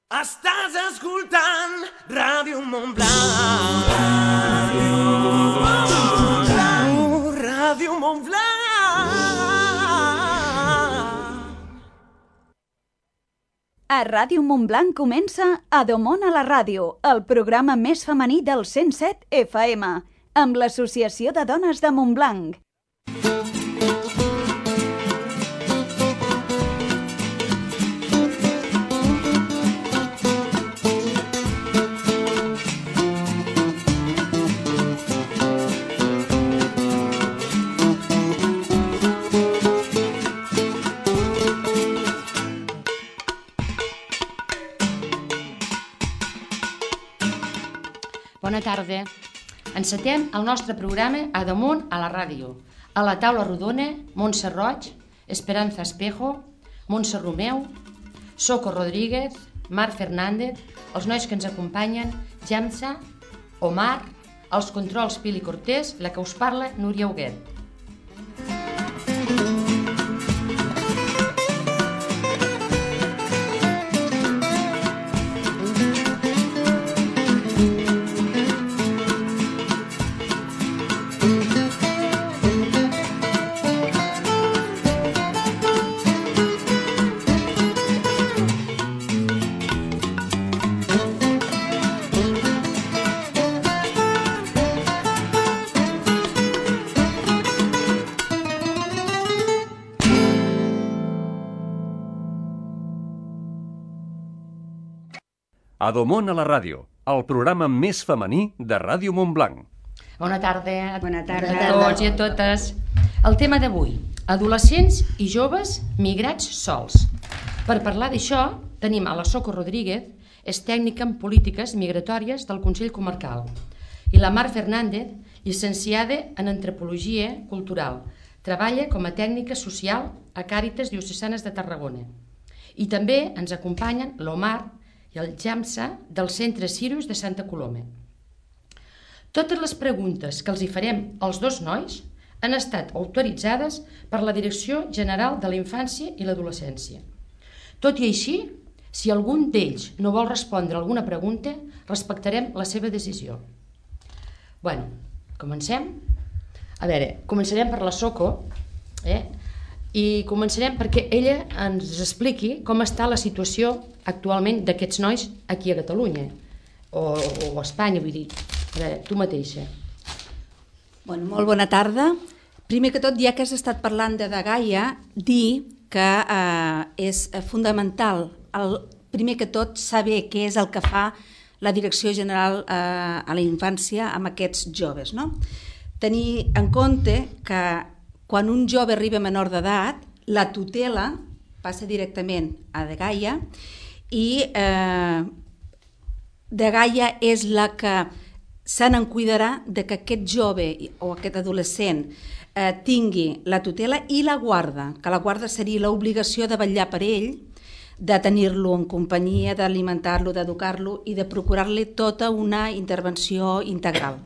Estàs escoltant Ràdio Montblanc. Ràdio Montblanc. A Ràdio Montblanc comença A Domon a la ràdio, el programa més femení del 107 FM, amb l'Associació de Dones de Montblanc. Bona tarda. Encetem el nostre programa A Damunt a la ràdio. A la taula rodona, Montse Roig, Esperanza Espejo, Montse Romeu, Soco Rodríguez, Marc Fernández, els nois que ens acompanyen, Jamsa, Omar, els controls Pili Cortés, la que us parla, Núria Huguet. A Domon a la ràdio, el programa més femení de Ràdio Montblanc. Bona tarda. Bona tarda. A tots i a totes. El tema d'avui, adolescents i joves migrats sols. Per parlar d'això, tenim a la Soco Rodríguez, és tècnica en polítiques migratòries del Consell Comarcal, i la Marc Fernández, llicenciada en antropologia cultural. Treballa com a tècnica social a Càritas Diocesanes de Tarragona. I també ens acompanyen l'Omar i el Jamsa del Centre Sirius de Santa Coloma. Totes les preguntes que els hi farem als dos nois han estat autoritzades per la Direcció General de la Infància i l'Adolescència. Tot i així, si algun d'ells no vol respondre a alguna pregunta, respectarem la seva decisió. Bueno, comencem? A veure, començarem per la Soco, i començarem perquè ella ens expliqui com està la situació actualment d'aquests nois aquí a Catalunya o a Espanya, vull dir. A veure, tu mateixa. Bueno, molt bona tarda. Primer que tot, ja que has estat parlant de Gaia, dir que és fundamental, primer que tot, saber què és el que fa la Direcció General a la Infància amb aquests joves, no? Tenir en compte que quan un jove arriba a menor d'edat, la tutela passa directament a Gaia i Gaia és la que se n'encuidarà de que aquest jove o aquest adolescent tingui la tutela i la guarda, que la guarda seria l'obligació de vetllar per ell, de tenir-lo en companyia, d'alimentar-lo, d'educar-lo i de procurar-li tota una intervenció integral.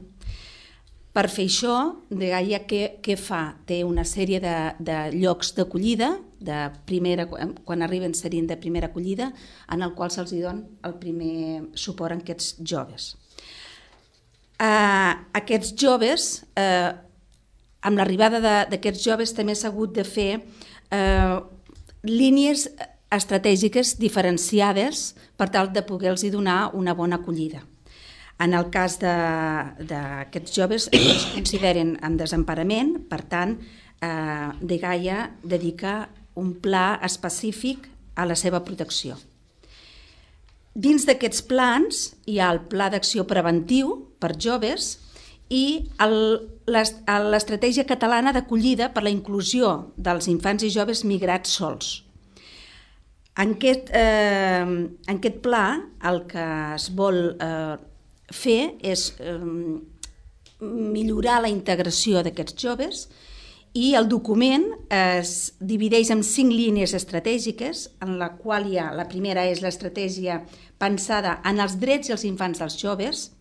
Per fer això, Gaia què fa? Té una sèrie de llocs d'acollida, quan arriben serien de primera acollida, en el qual se'ls dona el primer suport a aquests joves. Aquests joves, amb l'arribada d'aquests joves també s'ha hagut de fer línies estratègiques diferenciades per tal de poder-los donar una bona acollida. En el cas d'aquests joves es consideren en desemparament, per tant, Gaia dedica un pla específic a la seva protecció. Dins d'aquests plans hi ha el Pla d'Acció Preventiu per joves i l'Estratègia Catalana d'Acollida per la Inclusió dels Infants i Joves Migrats Sols. En aquest pla el que es vol fer és millorar la integració d'aquests joves i el document es divideix en 5 línies estratègiques, en la qual hi ha, la primera és l'estratègia pensada en els drets i els infants dels joves,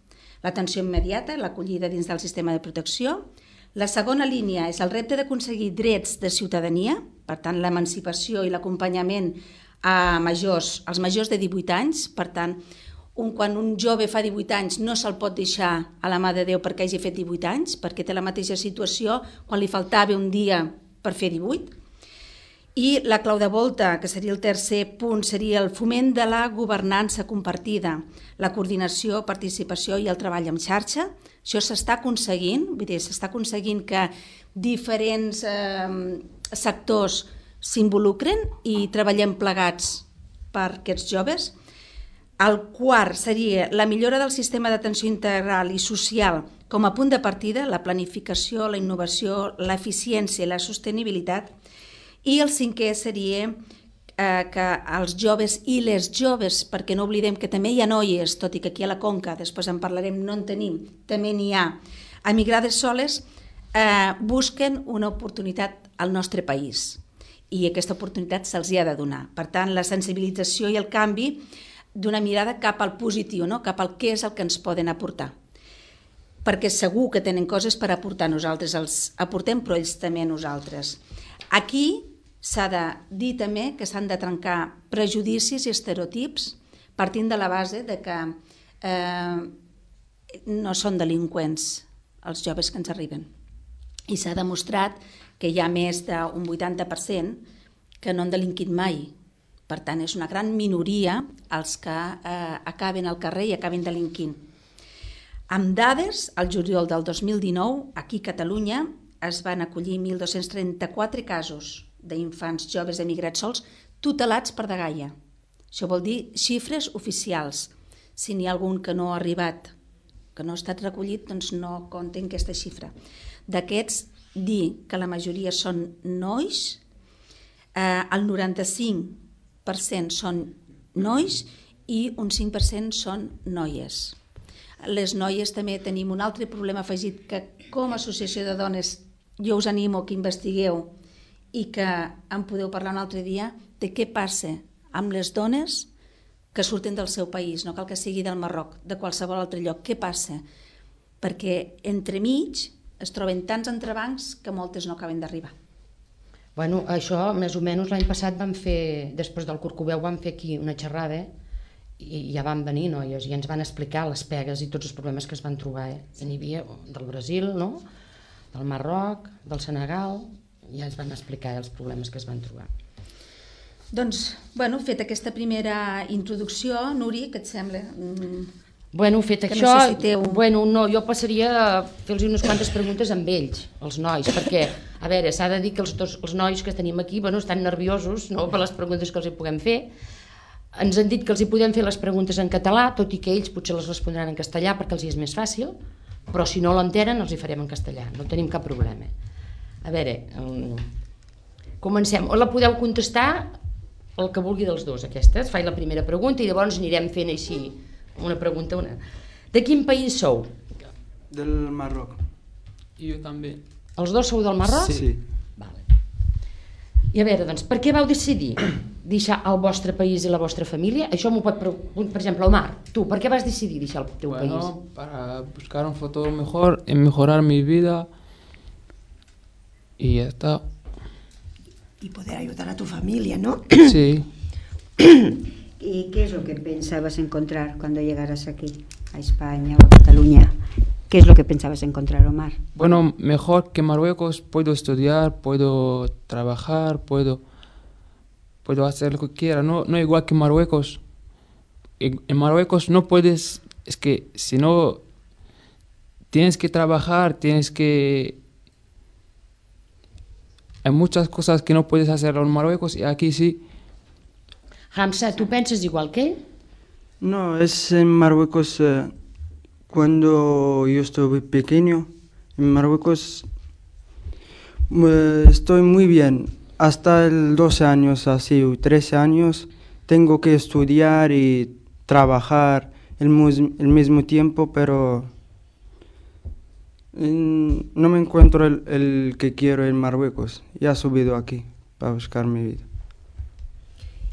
l'atenció immediata, l'acollida dins del sistema de protecció. La segona línia és el repte d'aconseguir drets de ciutadania, per tant l'emancipació i l'acompanyament als majors de 18 anys. Per tant, quan un jove fa 18 anys no se'l pot deixar a la mà de Déu perquè hagi fet 18 anys, perquè té la mateixa situació quan li faltava un dia per fer 18. I la clau de volta, que seria el tercer punt, seria el foment de la governança compartida, la coordinació, participació i el treball en xarxa. Això s'està aconseguint, s'està aconseguint que diferents sectors s'involucren i treballem plegats per aquests joves. El quart seria la millora del sistema d'atenció integral i social com a punt de partida, la planificació, la innovació, l'eficiència i la sostenibilitat. I el cinquè seria que els joves i les joves, perquè no oblidem que també hi ha noies, tot i que aquí a la Conca, després en parlarem, no en tenim, també n'hi ha, emigrades soles, busquen una oportunitat al nostre país i aquesta oportunitat se'ls ha de donar. Per tant, la sensibilització i el canvi d'una mirada cap al positiu, no? Cap al què és el que ens poden aportar. Perquè segur que tenen coses per aportar, nosaltres els aportem, però ells també a nosaltres. Aquí s'ha de dir també que s'han de trencar prejudicis i estereotips partint de la base de que no són delinqüents els joves que ens arriben. I s'ha demostrat que hi ha més d'un 80% que no han delinquit mai. Per tant, és una gran minoria els que acaben al carrer i acaben delinquint. Amb dades, al juliol del 2019, aquí a Catalunya es van acollir 1.234 casos d'infants joves emigrats sols tutelats per dgaia. Això vol dir xifres oficials. Si n'hi ha algun que no ha arribat, que no ha estat recollit, doncs no compten aquesta xifra. D'aquests, dir que la majoria són nois, el 95% són nois i un 5% són noies. Les noies també tenim un altre problema afegit que com a associació de dones jo us animo que investigueu i que en podeu parlar un altre dia de què passa amb les dones que surten del seu país, no cal que sigui del Marroc, de qualsevol altre lloc. Què passa? Perquè entremig es troben tants entrebancs que moltes no acaben d'arribar. Bueno, això més o menys l'any passat vam fer, després del Corcoveu vam fer aquí una xerrada i ja van venir noies i ens van explicar les pegues i tots els problemes que es van trobar. N'hi havia del Brasil, no? Del Marroc, del Senegal, i ja ens van explicar els problemes que es van trobar. Doncs, bueno, fet aquesta primera introducció, Nuri, què et sembla? Bueno, fet que això, necessiteu... bueno, no, jo passaria a fer-los unes quantes preguntes amb ells, els nois, perquè, a veure, s'ha de dir que els nois que tenim aquí, bueno, estan nerviosos, no?, per les preguntes que els hi puguem fer. Ens han dit que els hi podem fer les preguntes en català, tot i que ells potser les respondran en castellà perquè els hi és més fàcil, però si no l'entenen els hi farem en castellà, no tenim cap problema. A veure, comencem. O la podeu contestar el que vulgui dels dos, aquesta. Faig la primera pregunta i llavors anirem fent així una pregunta. De quin país sou? Del Marroc. I jo també. Els dos sou del Marroc? Sí. Vale. I a veure, doncs, per què vau decidir deixar el vostre país i la vostra família? Això m'ho pot preguntar, per exemple, Omar. Tu, per què vas decidir deixar el teu país? Bueno, para buscar un futuro mejor, en mejorar mi vida y ya está. Y poder ayudar a tu familia, ¿no? Sí. ¿Y qué es lo que pensabas encontrar cuando llegaras aquí, a España o a Cataluña? ¿Qué es lo que pensabas encontrar, Omar? Bueno, mejor que Marruecos, puedo estudiar, puedo trabajar, puedo hacer lo que quiera, no igual que Marruecos. En Marruecos no puedes, es que si no tienes que trabajar, hay muchas cosas que no puedes hacer en Marruecos y aquí sí. Hamza, ¿tú piensas igual que él? No, es en Marruecos, cuando yo estuve pequeño, en Marruecos estoy muy bien. Hasta el 12 años, así, 13 años, tengo que estudiar y trabajar el mismo tiempo, pero no me encuentro el que quiero en Marruecos. Ya he subido aquí para buscar mi vida.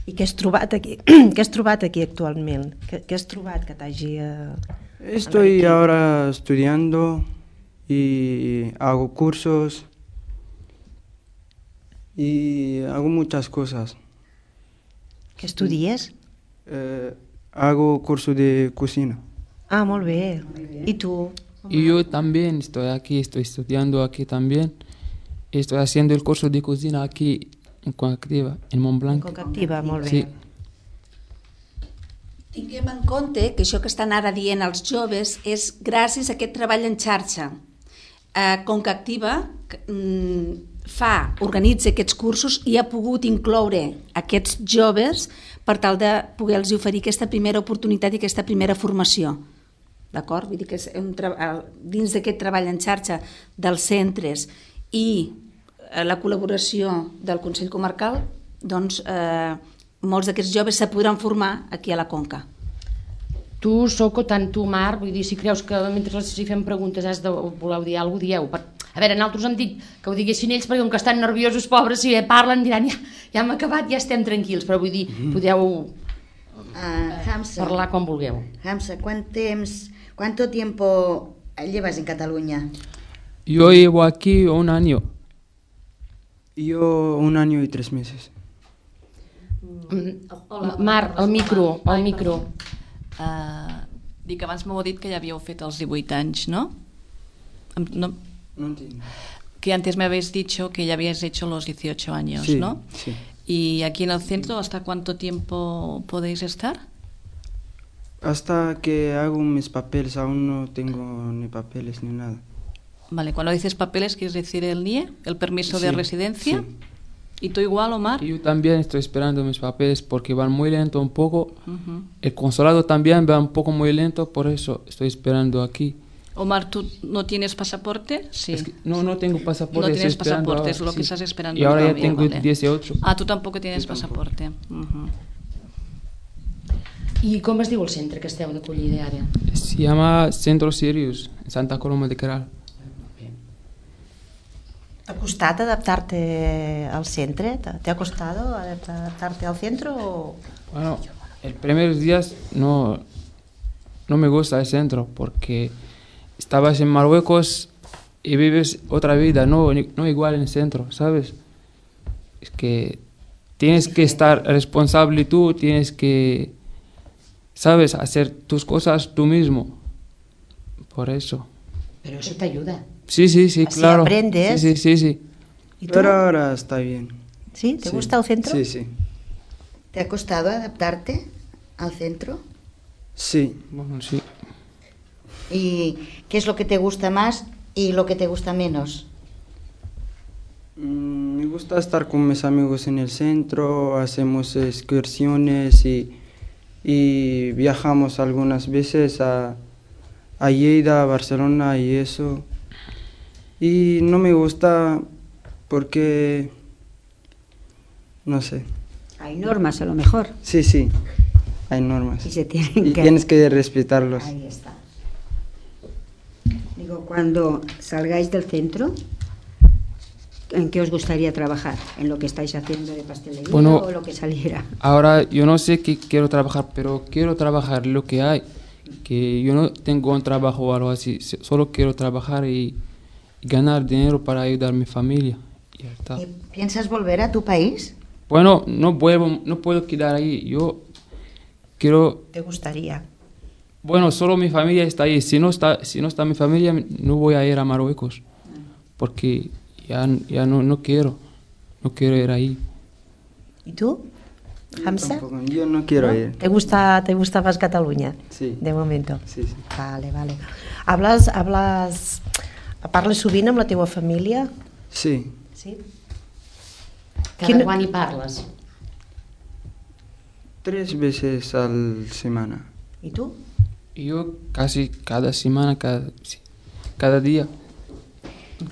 I què has trobat aquí? Què has trobat aquí actualment? Què has trobat que t'hagi... Estoy ahora estudiando y hago cursos y hago muchas cosas. Què estudies? Hago curso de cocina. Ah, molt bé. I tu? Y yo también estoy aquí, estoy estudiando aquí también. Estoy haciendo el curso de cocina aquí en Concactiva, en Montblanc. Concactiva, molt bé. Sí. Tinguem en compte que això que estan ara dient els joves és gràcies a aquest treball en xarxa. Concactiva organitza aquests cursos i ha pogut incloure aquests joves per tal de poder-los oferir aquesta primera oportunitat i aquesta primera formació. D'acord? Vull dir que és dins d'aquest treball en xarxa dels centres i la col·laboració del Consell Comarcal, doncs molts d'aquests joves se podran formar aquí a la Conca. Tu, Soco, tant tu, Marc, vull dir, si creus que mentre si fem preguntes voleu dir alguna cosa, dieu. A veure, nosaltres hem dit que ho diguessin ells perquè com que estan nerviosos, pobres, si parlen diran ja hem acabat, ja estem tranquils, però vull dir, podeu parlar com vulgueu. Hamza, ¿cuánto tiempo llevas en Cataluña? Yo llevo aquí 1 año. Yo 1 año y 3 meses. Marc, el micro. Dic, abans m'heu dit que ja havíeu fet els 18 anys, ¿no? No entiendo. Que antes me habéis dicho que ya habíais hecho los 18 años, sí, ¿no? Sí. ¿Y aquí en el centro hasta cuánto tiempo podéis estar? Hasta que hago mis papeles, aún no tengo ni papeles ni nada. Vale, cuando dices papeles, ¿quieres decir el NIE, el permiso de residencia? Sí. ¿Y tú igual, Omar? Yo también estoy esperando mis papeles porque van muy lento un poco. El consulado también va un poco muy lento, por eso estoy esperando aquí. Omar, ¿tú no tienes pasaporte? Sí. Es que no tengo pasaporte. No tienes pasaporte, ahora, es lo que estás esperando. Y ahora ya todavía, tengo vale. 18. Ah, tú tampoco tienes pasaporte. I com es diu el centre que esteu d'acollida ara? Se llama Centro Sirius, en Santa Coloma de Queralt. ¿Te ha costado adaptarte al centro? ¿Te ha costado adaptarte al centro? O... Bueno, el primeros días no me gusta el centro porque estabas en Marruecos y vives otra vida, no igual en el centro, ¿sabes? Es que tienes que estar responsable tú, tienes que, ¿sabes?, hacer tus cosas tú mismo. Por eso. Pero eso te ayuda. Sí, así claro. Aprendes. Sí. Pero ahora está bien. ¿Sí? ¿Te gusta el centro? Sí. ¿Te ha costado adaptarte al centro? Sí. Bueno, sí. ¿Y qué es lo que te gusta más y lo que te gusta menos? Me gusta estar con mis amigos en el centro, hacemos excursiones y viajamos algunas veces a Lleida, a Barcelona y eso. Y no me gusta porque, no sé. Hay normas a lo mejor. Sí, hay normas. Y se tienen que... tienes que respetarlos. Ahí está. Digo, cuando salgáis del centro, ¿en qué os gustaría trabajar? ¿En lo que estáis haciendo de pastelería o lo que saliera? Ahora yo no sé qué quiero trabajar, pero quiero trabajar lo que hay. Que yo no tengo un trabajo o algo así, solo quiero trabajar y ganar dinero para ayudar a mi familia. Y ya está. ¿Y piensas volver a tu país? Bueno, no puedo quedar ahí. Yo quiero... ¿Te gustaría? Bueno, solo mi familia está ahí. Si no está mi familia, no voy a ir a Marruecos. Porque ya no quiero ir ahí. ¿Y tú, Hamza? Yo no quiero ir. ¿Te gusta más Cataluña? Sí. De momento. Sí. Vale. Parles sovint amb la teva família? Sí. Sí? Cada quan hi parles? 3 veces a la semana. ¿Y tú? Yo casi cada semana, cada día.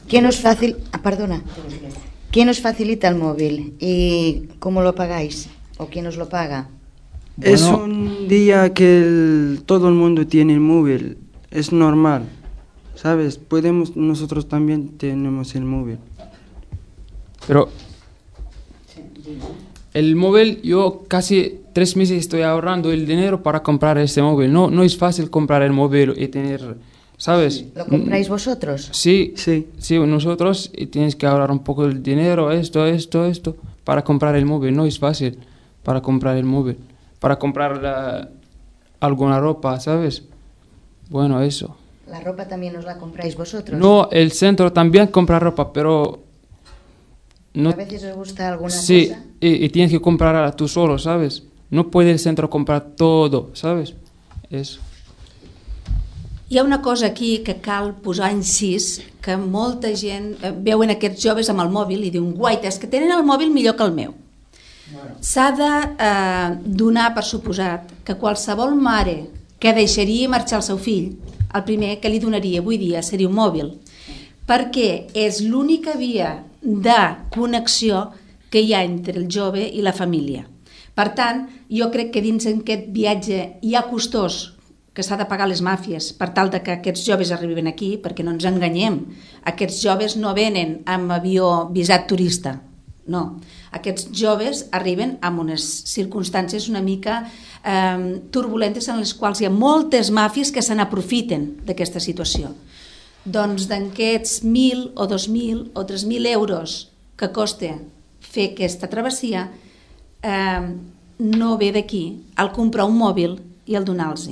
¿Quién os facilita el móvil y cómo lo pagáis? ¿O quién os lo paga? Es un día que todo el mundo tiene el móvil, es normal, ¿sabes? Nosotros también tenemos el móvil. Pero el móvil, yo casi 3 meses estoy ahorrando el dinero para comprar ese móvil. No es fácil comprar el móvil y tener, ¿sabes? ¿Lo compráis vosotros? Sí, nosotros, y tienes que ahorrar un poco el dinero, esto, para comprar el móvil. No es fácil, para comprar el móvil, para comprar alguna ropa, ¿sabes? Bueno, eso. ¿La ropa también os la compráis vosotros? No, el centro también compra ropa, pero... No, ¿A veces os gusta alguna cosa? Sí, y tienes que comprarla tú solo, ¿sabes? No puede el centro comprar todo, ¿sabes? Eso. Hi ha una cosa aquí que cal posar incís, que molta gent veuen aquests joves amb el mòbil i diuen guaites, que tenen el mòbil millor que el meu. S'ha de donar per suposat que qualsevol mare que deixaria marxar el seu fill, el primer que li donaria avui dia seria un mòbil, perquè és l'única via de connexió que hi ha entre el jove i la família. Per tant, jo crec que dins d'aquest viatge hi ha costós que s'ha de pagar les màfies per tal de que aquests joves arribin aquí, perquè no ens enganyem, aquests joves no venen amb avió visat turista, no. Aquests joves arriben amb unes circumstàncies una mica turbulentes en les quals hi ha moltes màfies que se n'aprofiten d'aquesta situació. Doncs d'aquests 1.000 o 2.000 o 3.000 euros que costa fer aquesta travessia, no ve d'aquí el comprar un mòbil i el donar-los.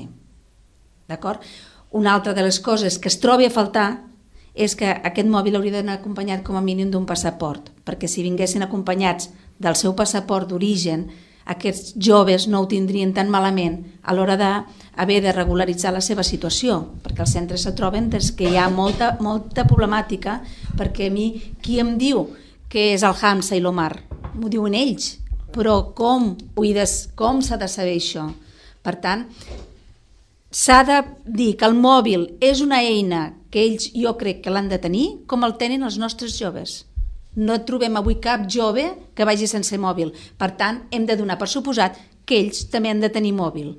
D'acord? Una altra de les coses que es trobi a faltar és que aquest mòbil hauria d'anar acompanyat com a mínim d'un passaport, perquè si vinguessin acompanyats del seu passaport d'origen, aquests joves no ho tindrien tan malament a l'hora d'haver de regularitzar la seva situació, perquè els centres se troben que hi ha molta problemàtica, perquè a mi qui em diu que és el Hamza i l'Omar? M'ho diuen ells, però com s'ha de saber això? Per tant, s'ha de dir que el mòbil és una eina que ells jo crec que l'han de tenir com el tenen els nostres joves. No trobem avui cap jove que vagi sense mòbil. Per tant, hem de donar per suposat que ells també han de tenir mòbil.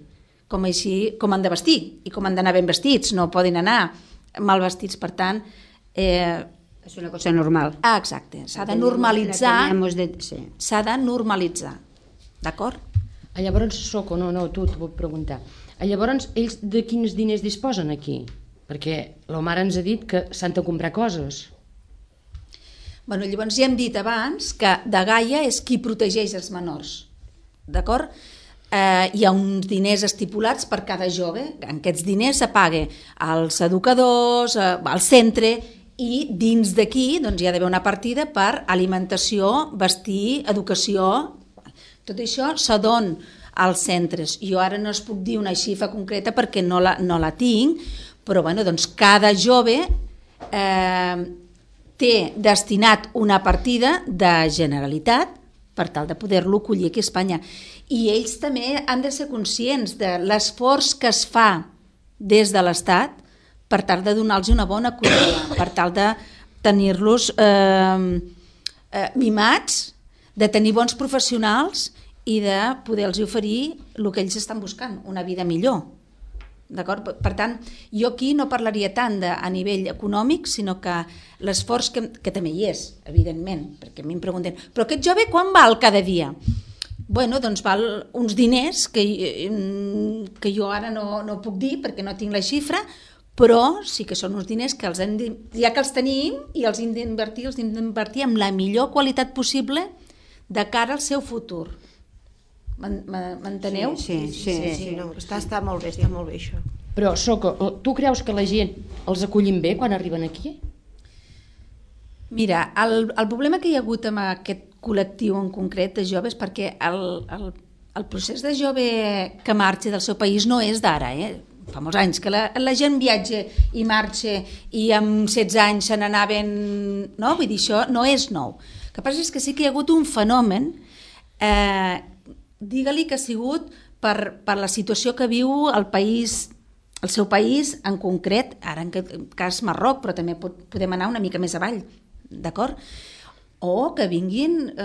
Com han de vestir i com han d'anar ben vestits. No poden anar mal vestits. Per tant... És una cosa normal. Exacte. S'ha de normalitzar. S'ha de normalitzar. D'acord? Llavors, Soco, tu t'ho vull preguntar. Llavors, ells de quins diners disposen aquí? Perquè l'Omar ens ha dit que s'han de comprar coses. Llavors ja hem dit abans que de Gaia és qui protegeix els menors. D'acord? Hi ha uns diners estipulats per cada jove. En aquests diners se paga als educadors, al centre, i dins d'aquí hi ha d'haver una partida per alimentació, vestir, educació. Tot això se dona als centres. Jo ara no es puc dir una xifra concreta perquè no la tinc, però cada jove té destinat una partida de Generalitat per tal de poder-lo acollir aquí a Espanya. I ells també han de ser conscients de l'esforç que es fa des de l'Estat per tal de donar-los una bona acollida, per tal de tenir-los mimats, de tenir bons professionals i de poder-los oferir el que ells estan buscant, una vida millor. D'acord? Per tant, jo aquí no parlaria tant a nivell econòmic, sinó que l'esforç que també hi és, evidentment, perquè a mi em pregunten, però aquest jove quan val cada dia? Doncs val uns diners que jo ara no puc dir perquè no tinc la xifra, però sí que són uns diners que ja que els tenim i els hem d'invertir amb la millor qualitat possible de cara al seu futur. M'enteneu? Sí. Està molt bé, això. Però, Soco, tu creus que la gent els acollim bé quan arriben aquí? Mira, el problema que hi ha hagut amb aquest col·lectiu en concret de joves, perquè el procés de jove que marxa del seu país no és d'ara, fa molts anys que la gent viatja i marxa i amb 16 anys se n'anaven, no? Vull dir, això no és nou. El que passa és que sí que hi ha hagut un fenomen, digue-li que ha sigut per la situació que viu el seu país en concret, ara en aquest cas Marroc, però també podem anar una mica més avall, d'acord? O que vinguin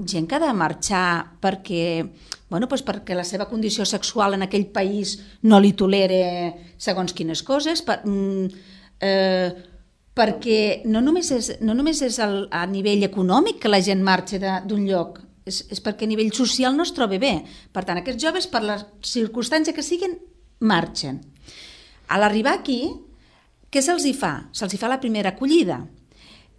gent que ha de marxar perquè la seva condició sexual en aquell país no li tolera segons quines coses, perquè no només és a nivell econòmic que la gent marxa d'un lloc, és perquè a nivell social no es troba bé. Per tant, aquests joves, per la circumstància que siguin, marxen. A l'arribar aquí, què se'ls hi fa? Se'ls hi fa la primera acollida.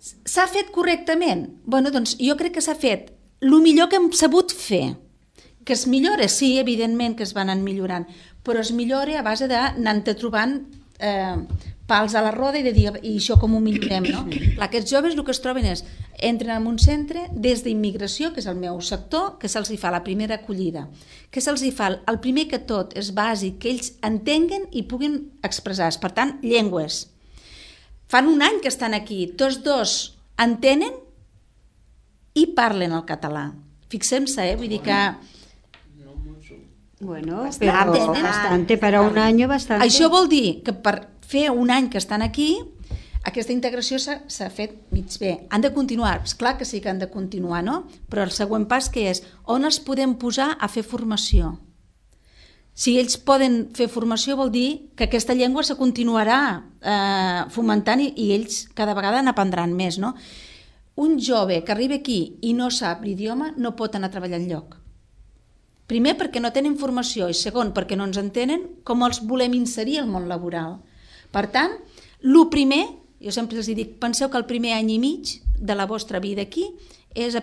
S'ha fet correctament? Doncs jo crec que s'ha fet el millor que hem sabut fer. Que es millora, sí, evidentment que es van anar millorant, però es millora a base d'anar-te trobant pals a la roda i de dir, i això com ho millorem, no? Clar, aquests joves el que es troben és, entren en un centre des d'immigració, que és el meu sector, que se'ls fa la primera acollida, que se'ls fa, el primer que tot és bàsic, que ells entenguen i puguin expressar-se, per tant, llengües. Fan un any que estan aquí, tots dos entenen i parlen el català. Fixem-se, vull dir que... Bueno, pero bastante, para un año bastante. Això vol dir que per fer un any que estan aquí, aquesta integració s'ha fet mig bé. Han de continuar, és clar que sí que han de continuar, no? Però el següent pas que és, on els podem posar a fer formació? Si ells poden fer formació vol dir que aquesta llengua se continuarà fomentant i ells cada vegada n'aprendran més, no? Un jove que arriba aquí i no sap l'idioma no pot anar a treballar enlloc. Primer, perquè no tenen formació, i segon, perquè no ens entenen com els volem inserir al món laboral. Per tant, el primer, jo sempre els dic, penseu que el primer any i mig de la vostra vida aquí és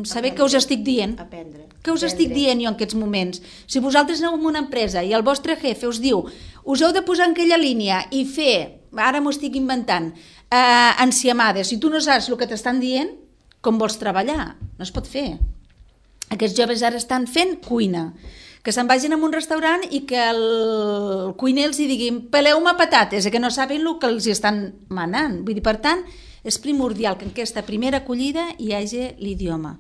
saber què us estic dient. Què us estic dient jo en aquests moments? Si vosaltres aneu en una empresa i el vostre jefe us diu us heu de posar en aquella línia i fer, ara m'ho estic inventant, enciamades, si tu no saps el que t'estan dient, com vols treballar? No es pot fer. Aquests joves ara estan fent cuina, que se'n vagin a un restaurant i que el cuiner els diguin peleu-me patates, que no saben el que els estan manant. Vull dir, per tant, és primordial que en aquesta primera acollida hi hagi l'idioma.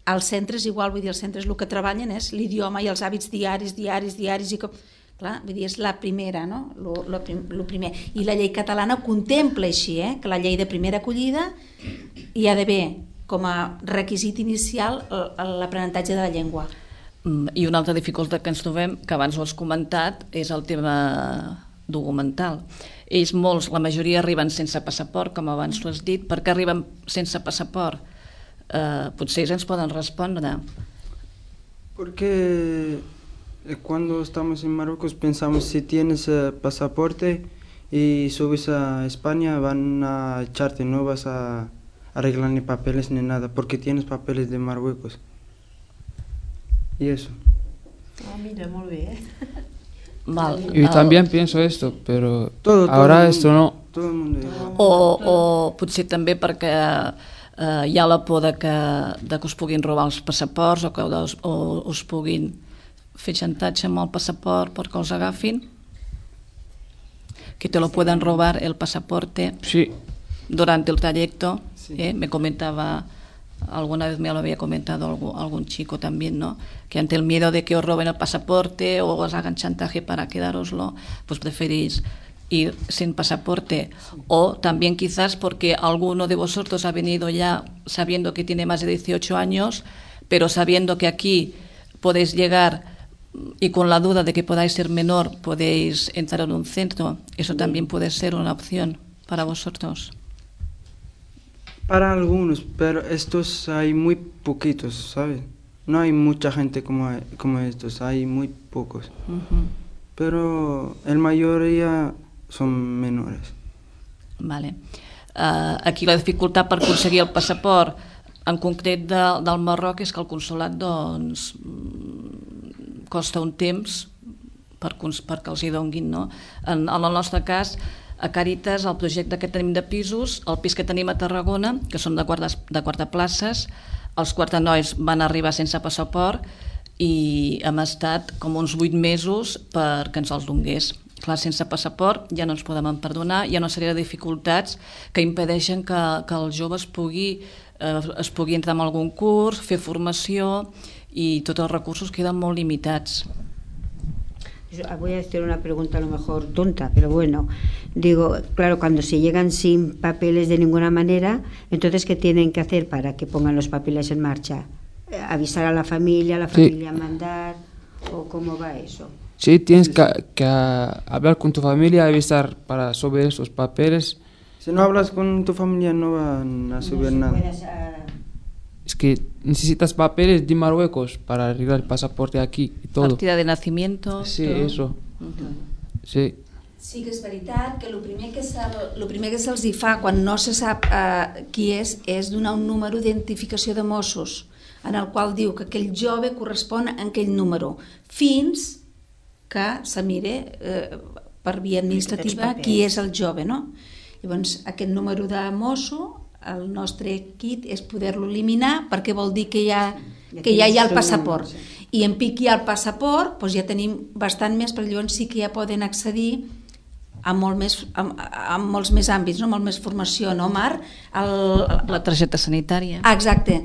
Els centres igual, vull dir, els centres el que treballen és l'idioma i els hàbits diaris, i com... Clar, vull dir, és la primera, no? Lo primer. I la llei catalana contempla així, que la llei de primera acollida hi ha d'haver com a requisit inicial l'aprenentatge de la llengua. I una altra dificultat que ens trobem, que abans ho has comentat, és el tema documental. Ells molts, la majoria arriben sense passaport, com abans tu has dit. Per què arriben sense passaport? Potser ells ens poden respondre. Porque cuando estamos en Marruecos pensamos si tienes pasaporte y subes a España van a echarte, no vas a arreglar ni papeles ni nada, porque tienes papeles de Marruecos. Y eso. Mira, muy bien. Yo también pienso esto, pero todo esto no. Todo el mundo igual. O potser també perquè hi ha la por de que us puguin robar els passaports o que us puguin fer xantatge amb el passaport perquè els agafin. Que te lo puedan robar el pasaporte durante el trayecto. Me comentaba, alguna vez me lo había comentado algún chico también, ¿no? Que ante el miedo de que os roben el pasaporte o os hagan chantaje para quedároslo, pues preferís ir sin pasaporte. O también quizás porque alguno de vosotros ha venido ya sabiendo que tiene más de 18 años, pero sabiendo que aquí podéis llegar y con la duda de que podáis ser menor podéis entrar en un centro. Eso también puede ser una opción para vosotros. Para algunos, pero estos hay muy poquitos, ¿sabes? No hay mucha gente como estos, hay muy pocos. Pero la mayoría son menores. Vale. Aquí la dificultat per aconseguir el passaport en concret del Marroc és que el consolat doncs costa un temps perquè els hi donguin, no? En el nostre cas, a Càritas, el projecte que tenim de pisos, el pis que tenim a Tarragona, que són de guardaplaces, els guardanois van arribar sense passaport i hem estat com uns 8 mesos perquè ens els dongués. Clar, sense passaport ja no ens podem perdonar, hi ha una sèrie de dificultats que impedeixen que el jove es pugui entrar en algun curs, fer formació i tots els recursos queden molt limitats. Voy a hacer una pregunta a lo mejor tonta, pero bueno, digo, claro, cuando se llegan sin papeles de ninguna manera, entonces ¿qué tienen que hacer para que pongan los papeles en marcha? ¿Avisar a la familia mandar? ¿O cómo va eso? Sí, tienes que hablar con tu familia, avisar para subir esos papeles. Si no hablas con tu familia no van a subir nada. Es que necesitas papeles de Marruecos para arreglar el pasaporte aquí y todo. Partida de nacimiento. Sí, todo. Eso. Sí. Sí que és veritat que el primer que se'ls fa quan no se sap qui és donar un número d'identificació de Mossos en el qual diu que aquell jove correspon a aquell número, fins que se mire per via administrativa qui és el jove, no? Llavors, aquest número de mosso, el nostre kit és poder-lo eliminar, perquè vol dir que ja hi ha el passaport. I en pic hi ha el passaport, doncs ja tenim bastant més, perquè llavors sí que ja poden accedir a molts més àmbits, no? Molt més formació, no, Mar? La targeta sanitària. Exacte.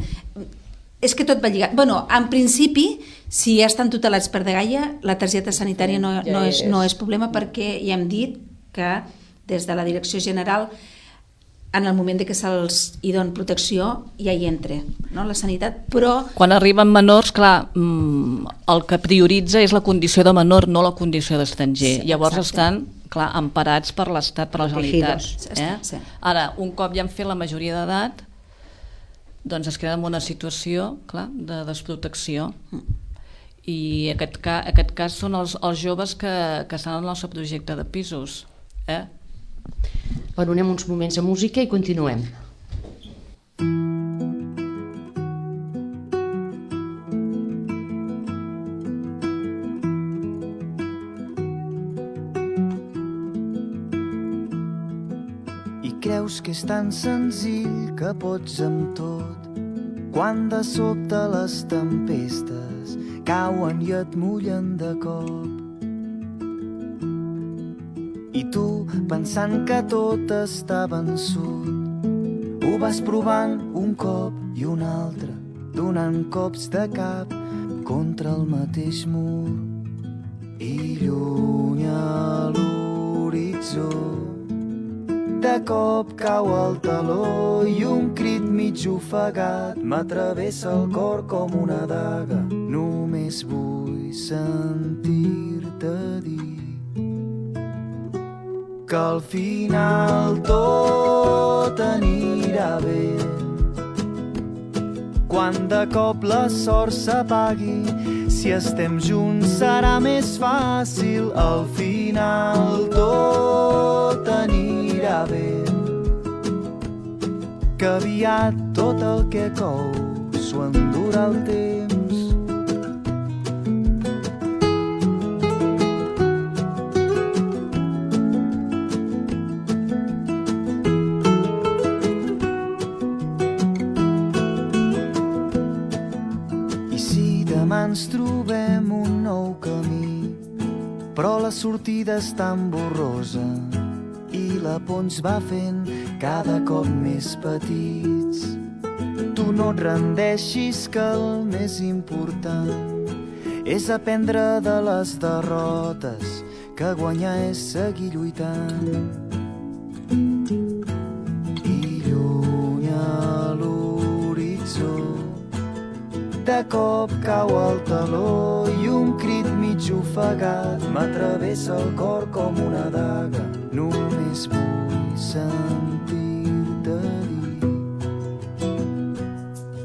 És que tot va lligat. Bueno, en principi, si ja estan tutelats per Dgaia, la targeta sanitària no és problema, perquè ja hem dit que des de la Direcció General, en el moment que se'ls hi doni protecció, ja hi entra, no? La sanitat, però... Quan arriben menors, clar, el que prioritza és la condició de menor, no la condició d'estranger. Sí, llavors estan, clar, emparats per l'Estat, per la Generalitat. Sí. Ara, un cop ja han fet la majoria d'edat, doncs es queda en una situació, clar, de desprotecció. I aquest cas són els joves que estan en el nostre projecte de pisos. Bueno, anem uns moments a música i continuem. I creus que és tan senzill que pots amb tot, quan de sobte les tempestes cauen i et mullen de cop. I tu, pensant que tot està vençut, ho vas provant un cop i un altre, donant cops de cap contra el mateix mur. I lluny a l'horitzó, de cop cau el taló i un crit mig ofegat m'atravessa el cor com una daga. Només vull sentir-te dir que al final tot anirà bé. Quan de cop la sort s'apagui, si estem junts serà més fàcil. Al final tot anirà bé, que aviat tot el que cou s'ho endurà el temps. Ens trobem un nou camí, però la sortida és tan borrosa i la por ens va fent cada cop més petits. Tu no et rendeixis, que el més important és aprendre de les derrotes, que guanyar és seguir lluitant. I lluny a l'horitzó, de cop cau el taló i un crit mig ofegat m'atravessa el cor com una daga. Només vull sentir-te dir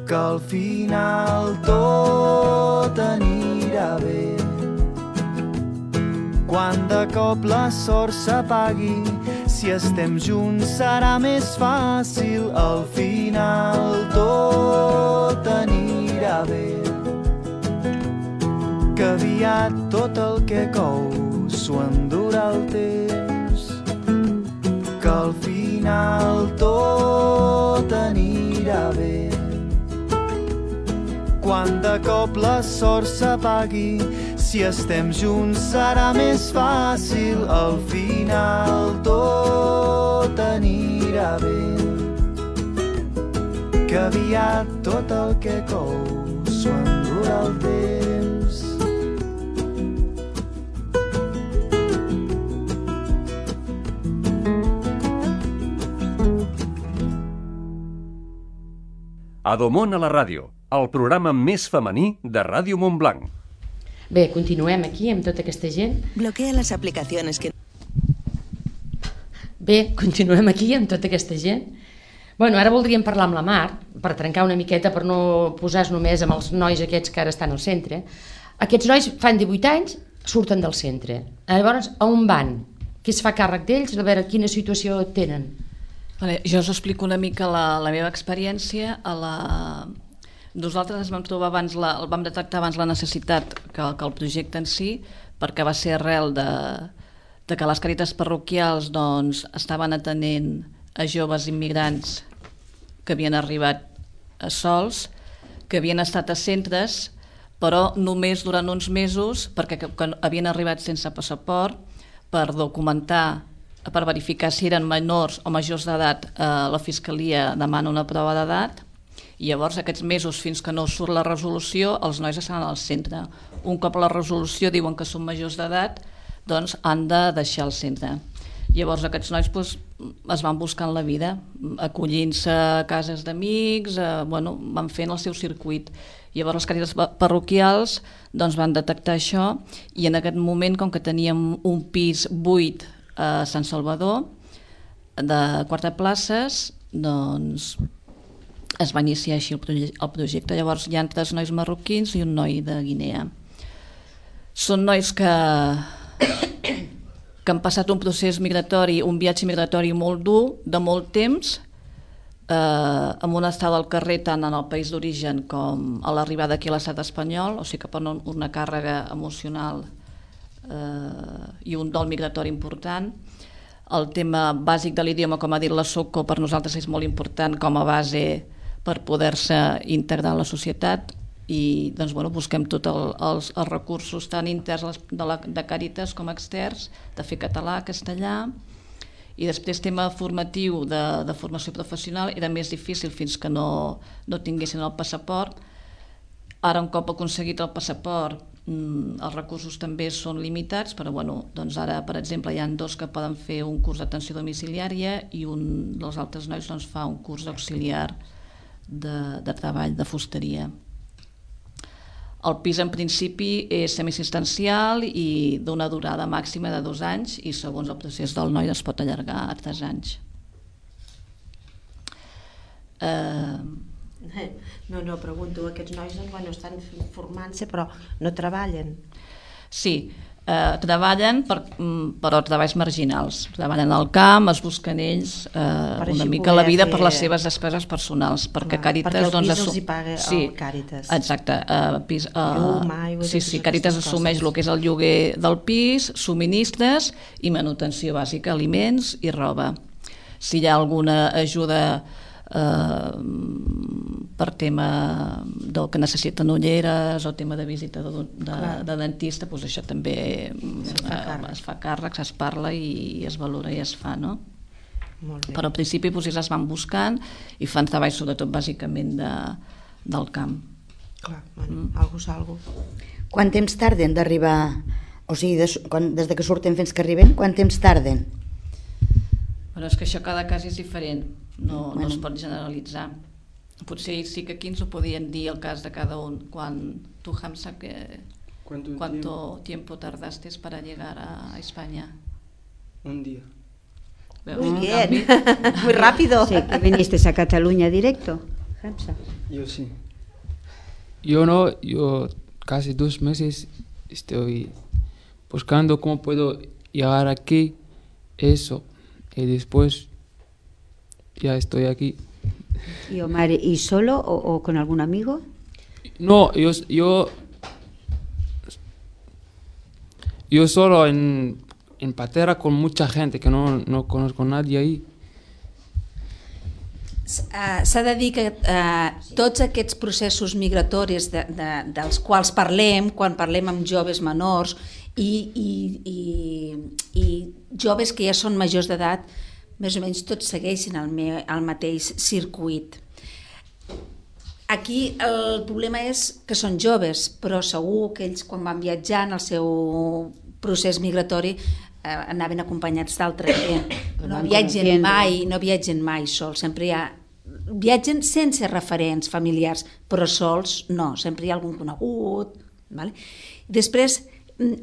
que al final tot anirà bé. Quan de cop la sort s'apagui, si estem junts serà més fàcil. Al final tot anirà bé, que aviat tot el que cou s'ho endurà el temps. Que al final tot anirà bé, quan de cop la sort s'apagui, si estem junts serà més fàcil. Al final tot anirà bé, que aviat tot el que cou s'ho endurà el temps. Adomon a la ràdio, el programa més femení de Ràdio Montblanc. Bé, continuem aquí amb tota aquesta gent. Bloquea les aplicacions que... Bé, continuem aquí amb tota aquesta gent. Bueno, ara voldríem parlar amb la Mar, per trencar una miqueta, per no posar-nos només amb els nois aquests que ara estan al centre. Aquests nois fan 18 anys, surten del centre. Llavors, on van? Qui es fa càrrec d'ells? A veure, quina situació tenen? Vale, jo us explico una mica la meva experiència. Nosaltres vam trobar vam detectar abans la necessitat que el projecte en si, perquè va ser arrel de que les càritas parroquials doncs, estaven atenent a joves immigrants que havien arribat sols, que havien estat a centres, però només durant uns mesos, perquè havien arribat sense passaport, per documentar, per verificar si eren menors o majors d'edat. La Fiscalia demana una prova d'edat, i llavors aquests mesos fins que no surt la resolució els nois estan al centre. Un cop la resolució diuen que són majors d'edat, doncs han de deixar el centre. Llavors aquests nois es van buscant la vida, acollint-se a cases d'amics, van fent el seu circuit. Llavors les càritas parroquials van detectar això, i en aquest moment, com que teníem un pis buit a Sant Salvador de 4 places, doncs es va iniciar així el projecte. Llavors hi ha 3 nois marroquins i un noi de Guinea. Són nois que han passat un procés migratori, un viatge migratori molt dur, de molt temps, amb una estada al carrer tant en el país d'origen com a l'arribada aquí a l'estat espanyol, o sigui que per una càrrega emocional i un dol migratori important. El tema bàsic de l'idioma, com ha dit la Soco, per nosaltres és molt important com a base per poder-se integrar a la societat, i doncs, busquem tots els recursos tant interns de Càritas com externs, de fer català, castellà, i després tema formatiu de formació professional era més difícil fins que no tinguessin el passaport. Ara, un cop aconseguit el passaport, els recursos també són limitats, però doncs ara, per exemple, hi ha 2 que poden fer un curs d'atenció domiciliària i un dels altres nois fa un curs d'auxiliar de treball, de fusteria. El pis en principi és semiassistencial i d'una durada màxima de 2 anys, i segons el procés del noi es pot allargar a 3 anys. No, pregunto, aquests nois estan formant-se però no treballen? Sí, treballen, però treballs marginals. Treballen al camp, es busquen ells una mica la vida per les seves despeses personals, perquè Càritas... Perquè el pis els hi paga el Càritas. Exacte. Sí, Càritas assumeix el que és el lloguer del pis, subministres i manutenció bàsica, aliments i roba. Si hi ha alguna ajuda per tema del que necessiten ulleres o tema de visita de dentista, doncs això també es fa càrrec, es parla i es valora i es fa, no? Però al principi ells es van buscant i fan treball sobretot bàsicament del camp. Clar, algo. Quant temps tarden d'arribar? O sigui, des que surten fins que arriben, quant temps tarden? Però és que això cada cas és diferent, no es pot generalitzar. Potser sí que aquí ens ho podien dir el cas de cada un. Tu, Hamza, ¿cuánto tiempo tardaste para llegar a España? Un día. Muy bien, muy rápido. Sí, que viniste a Cataluña directo, Hamza. Yo sí. Yo no, yo casi 2 meses estoy buscando cómo puedo llegar aquí, eso. Y después ya estoy aquí. ¿Y Omar, y solo o con algún amigo? No, yo solo en Patera con mucha gente, que no conozco a nadie ahí. S'ha de dir que tots aquests processos migratoris dels quals parlem, quan parlem amb joves menors i joves que ja són majors d'edat, més o menys tots segueixen el mateix circuit. Aquí el problema és que són joves, però segur que ells quan van viatjar en el seu procés migratori anaven acompanyats d'altra gent. No viatgen mai sols, sempre viatgen sense referents familiars, però sols no, sempre hi ha algun conegut. Després,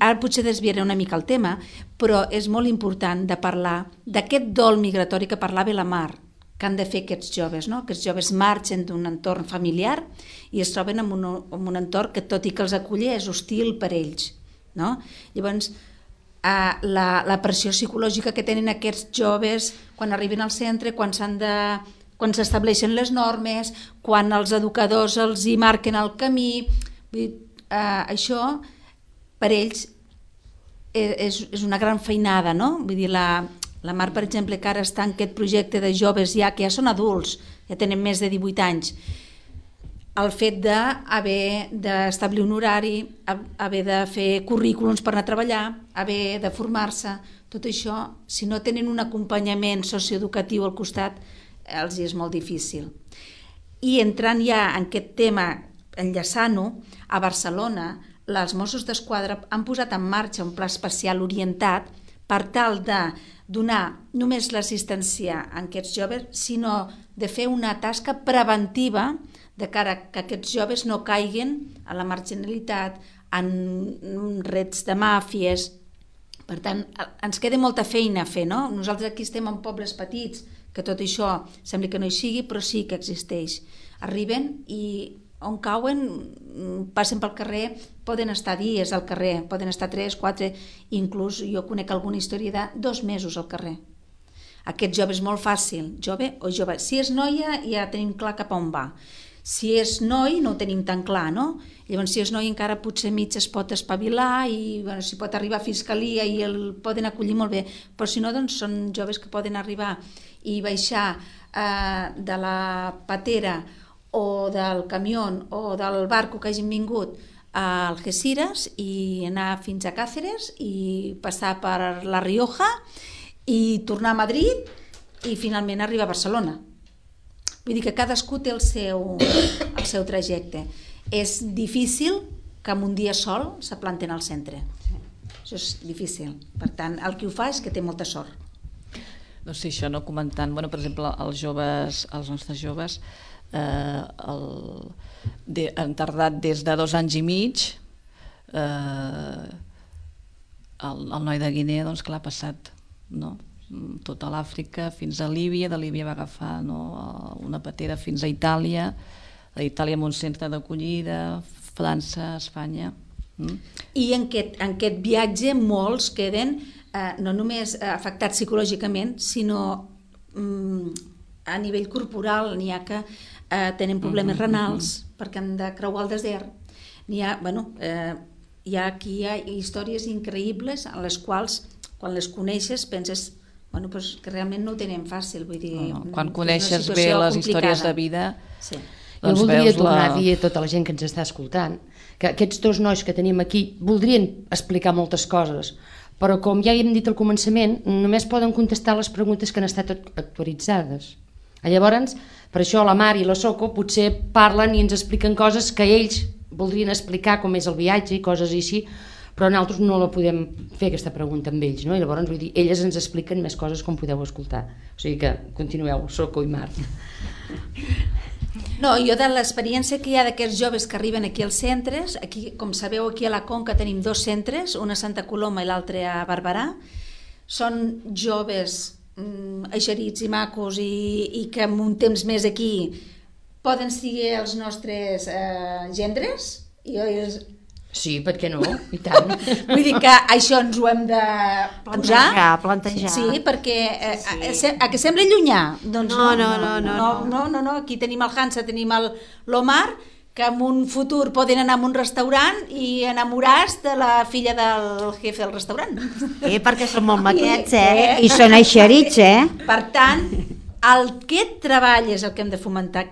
ara potser desviaré una mica el tema, però és molt important de parlar d'aquest dol migratori que parlava la Mar, que han de fer aquests joves, no? Aquests joves marxen d'un entorn familiar i es troben en un entorn que, tot i que els acull, és hostil per ells, no? Llavors, la pressió psicològica que tenen aquests joves quan arriben al centre, quan s'han de quan s'estableixen les normes, quan els educadors els hi marquen el camí. Això per ells és una gran feinada, no? Vull dir, la Mar, per exemple, que ara està en aquest projecte de joves que ja són adults, ja tenen més de 18 anys, el fet d'haver d'establir un horari, haver de fer currículums per anar a treballar, haver de formar-se, tot això, si no tenen un acompanyament socioeducatiu al costat, els és molt difícil. I entrant ja en aquest tema, enllaçant-ho, a Barcelona, els Mossos d'Esquadra han posat en marxa un pla especial orientat per tal de donar només l'assistència a aquests joves, sinó de fer una tasca preventiva de cara que aquests joves no caiguen a la marginalitat, en rets de màfies. Per tant, ens queda molta feina a fer, no? Nosaltres aquí estem en pobles petits, que tot això sembla que no hi sigui, però sí que existeix. Arriben i on cauen, passen pel carrer, poden estar dies al carrer, poden estar 3, 4, inclús jo conec alguna història de 2 mesos al carrer. Aquest jove és molt fàcil, jove o jove. Si és noia ja tenim clar cap a on va. Si és noi no ho tenim tan clar, no? Llavors si és noi encara potser mig es pot espavilar i si pot arribar a fiscalia i el poden acollir molt bé, però si no doncs són joves que poden arribar i baixar de la patera o del camió o del barco que hagin vingut a Algeciras i anar fins a Càceres i passar per La Rioja i tornar a Madrid i finalment arribar a Barcelona. Vull dir que cadascú té el seu trajecte. És difícil que en un dia sol s'aplanten al centre. Això és difícil. Per tant, el que ho fa és que té molta sort. No sé, això no comentant, per exemple, els nostres joves han tardat des de 2 anys i mig. El noi de Guinea, doncs clar, ha passat, no? Tota l'Àfrica fins a Líbia, de Líbia va agafar una patera fins a Itàlia, d'Itàlia amb un centre d'acollida, França, Espanya. I en aquest viatge molts queden no només afectats psicològicament, sinó a nivell corporal. N'hi ha que tenen problemes renals perquè han de creuar el desert. Hi ha històries increïbles en les quals, quan les coneixes, penses que realment no ho tenen fàcil. Quan coneixes bé les històries de vida... Jo voldria tornar a dir a tota la gent que ens està escoltant que aquests 2 nois que tenim aquí voldrien explicar moltes coses, però com ja hem dit al començament, només poden contestar les preguntes que han estat actualitzades. Llavors, per això la Mar i la Soco potser parlen i ens expliquen coses que ells voldrien explicar, com és el viatge i coses així, però nosaltres no la podem fer aquesta pregunta amb ells, no? I llavors, vull dir, elles ens expliquen més coses com podeu escoltar. O sigui que continueu, Soco i Mar. No, jo de l'experiència que hi ha d'aquests joves que arriben aquí als centres, aquí, com sabeu, aquí a la Conca tenim 2 centres, una a Santa Coloma i l'altre a Barberà. Són joves eixerits i macos i que en un temps més aquí poden ser els nostres gendres. Sí, per què no? I tant. Vull dir que això ens ho hem de plantejar. Sí, perquè a que sembla llunyà? Doncs no. Aquí tenim el Hansa, tenim l'Omar, que en un futur poden anar a un restaurant i enamorar-se de la filla del jefe del restaurant. Perquè són molt maquets, I són eixerits, Per tant, aquest treball és el que hem de fomentar,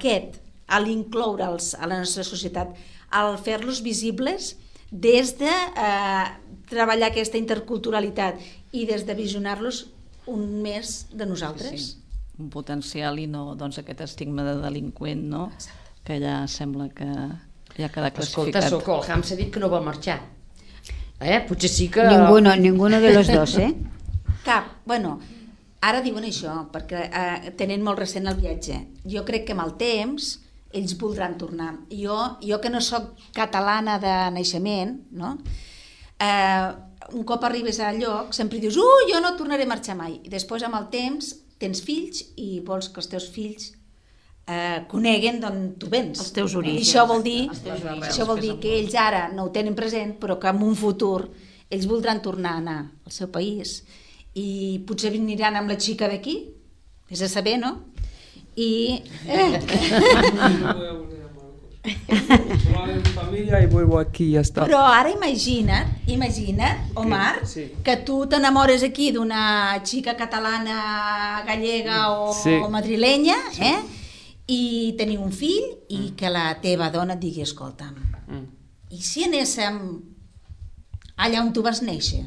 a l'incloure'ls a la nostra societat, al fer-los visibles des de treballar aquesta interculturalitat i des de visionar-los un més de nosaltres. Sí. Un potencial i no aquest estigma de delinqüent, no? Que ja sembla que ja queda classificat. Escolta, Soco, el Ham s'ha dit que no vol marxar. Potser sí que... Ninguno de los dos, Cap. Ara diuen això, perquè tenen molt recent el viatge. Jo crec que amb el temps ells voldran tornar. Jo que no sóc catalana de naixement, no? Un cop arribes al lloc sempre dius jo no tornaré a marxar mai. I després amb el temps tens fills i vols que els teus fills coneguen d'on tu vens. Els teus orígens. I això vol dir que ells ara no ho tenen present, però que en un futur ells voldran tornar a anar al seu país i potser veniran amb la xica d'aquí, és a saber, no? y... Solo a ver mi familia y vuelvo aquí y ya está. Però ara imagina't, Omar, que tu t'enamores aquí d'una xica catalana, gallega o madrilenya, i teniu un fill i que la teva dona et digui, escolta'm, i si anéssim allà on tu vas néixer?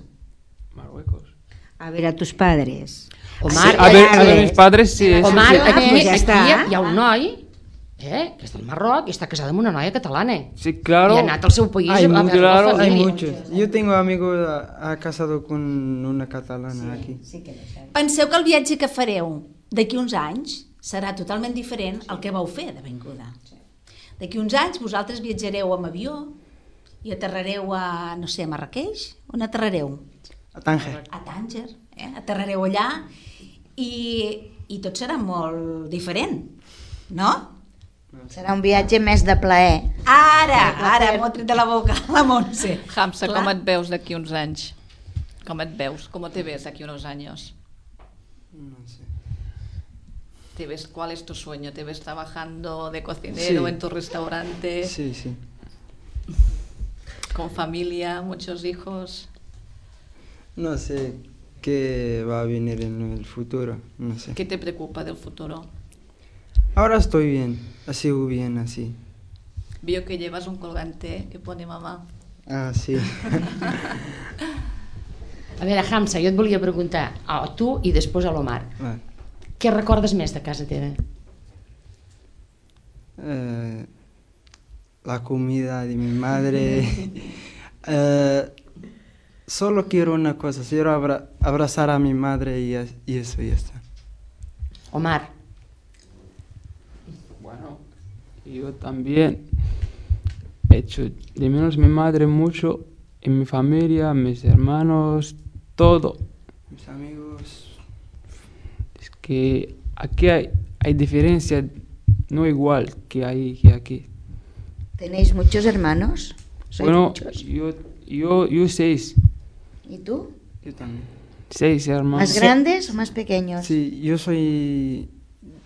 Marruecos. A ver a tus padres. Omar, a ver mis padres, sí. Omar, aquí està. hi ha un noi que és del Marroc i està casada amb una noia catalana. Sí, claro. I ha anat al seu país a veure la Hay família. muchos. Yo tengo amigos casado con una catalana aquí. Penseu que el viatge que fareu d'aquí uns anys serà totalment diferent al que vau fer de vinguda. D'aquí uns anys vosaltres viatjareu amb avió i aterrareu a, no sé, a Marrakeix? On aterrareu? A Tánger. A Tànger, aterrareu allà i tot serà molt diferent, no? Serà un viatge més de plaer. Ara m'ho ha tret de la boca la Montse. Hamza, com et veus d'aquí uns anys? Com et veus? ¿Cómo te ves d'aquí unos años? No sé. ¿Te ves, cuál es tu sueño? ¿Te ves trabajando de cocinero en tu restaurante? Sí, sí. ¿Con familia, muchos hijos? No sé qué va a venir en el futuro, no sé. ¿Qué te preocupa del futuro? Ahora estoy bien, sigo bien así. Veo que llevas un colgante que pone mamá. Ah, sí. A veure, Hamza, jo et volia preguntar a tu i després a l'Omar. Què recordes més de casa teva? La comida de mi madre. Solo quiero una cosa, quiero abrazar a mi madre y eso ya está. Omar. Bueno, yo también he hecho de menos mi madre mucho, y mi familia, mis hermanos, todo. Mis amigos. Es que aquí hay diferencia, no igual que aquí. ¿Tenéis muchos hermanos? Bueno, muchos? yo 6. ¿Y tú? Yo también. 6 hermanos. ¿Más grandes o más pequeños? Sí,